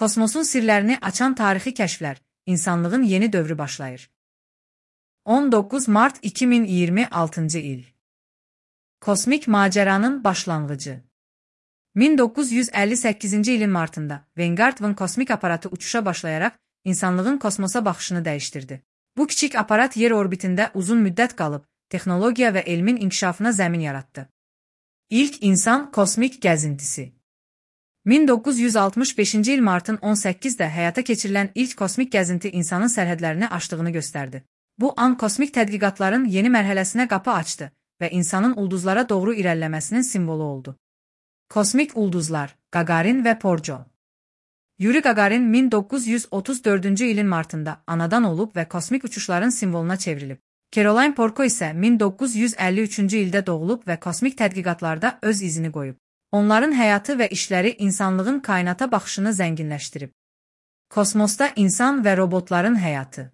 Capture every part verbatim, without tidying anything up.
Kosmosun sirlərini açan tarixi kəşflər, insanlığın yeni dövrü başlayır. on doqquz mart iki min iyirmi altıncı il. Kosmik macəranın başlanğıcı. min doqquz yüz əlli səkkizinci ilin martında Vanguard V kosmik aparatı uçuşa başlayaraq insanlığın kosmosa baxışını dəyişdirdi. Bu kiçik aparat yer orbitində uzun müddət qalıb, texnologiya və elmin inkişafına zəmin yaratdı. İlk insan kosmik gəzintisi. min doqquz yüz altmış beşinci il martın on səkkizində həyata keçirilən ilk kosmik gəzinti insanın sərhədlərini aşdığını göstərdi. Bu an kosmik tədqiqatların yeni mərhələsinə qapı açdı və insanın ulduzlara doğru irəliləməsinin simvolu oldu. Kosmik ulduzlar, Gagarin və Porjo. Yuri Gagarin min doqquz yüz otuz dördüncü ilin martında anadan olub və kosmik uçuşların simvoluna çevrilib. Caroline Porco isə min doqquz yüz əlli üçüncü ildə doğulub və kosmik tədqiqatlarda öz izini qoyub. Onların həyatı və işləri insanlığın kainata baxışını zənginləşdirib. Kosmosda insan və robotların həyatı.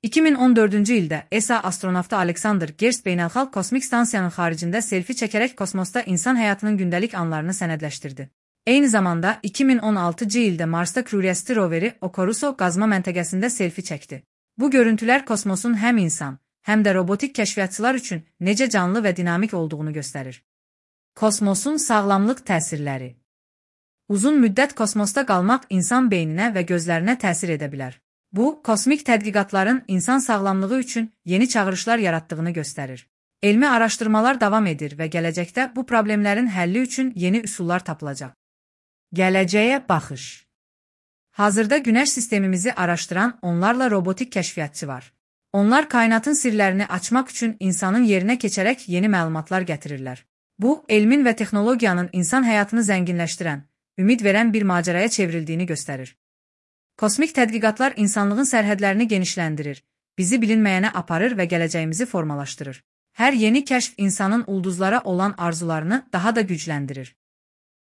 iki min on dördüncü ildə E S A astronavtı Alexander Gerst beynəlxalq kosmik stansiyanın xaricində selfi çəkərək kosmosda insan həyatının gündəlik anlarını sənədləşdirdi. Eyni zamanda iki min on altıncı ildə Marsda Curiosity roveri Okuruso qazma məntəqəsində selfi çəkdi. Bu görüntülər kosmosun həm insan, həm də robotik kəşfiyyatçılar üçün necə canlı və dinamik olduğunu göstərir. Kosmosun sağlamlıq təsirləri. Uzun müddət kosmosda qalmaq insan beyninə və gözlərinə təsir edə bilər. Bu, kosmik tədqiqatların insan sağlamlığı üçün yeni çağırışlar yaratdığını göstərir. Elmi araşdırmalar davam edir və gələcəkdə bu problemlərin həlli üçün yeni üsullar tapılacaq. Gələcəyə baxış. Hazırda Günəş sistemimizi araşdıran onlarla robotik kəşfiyyatçı var. Onlar kainatın sirlərini açmaq üçün insanın yerinə keçərək yeni məlumatlar gətirirlər. Bu, elmin və texnologiyanın insan həyatını zənginləşdirən, ümid verən bir macəraya çevrildiyini göstərir. Kosmik tədqiqatlar insanlığın sərhədlərini genişləndirir, bizi bilinməyənə aparır və gələcəyimizi formalaşdırır. Hər yeni kəşf insanın ulduzlara olan arzularını daha da gücləndirir.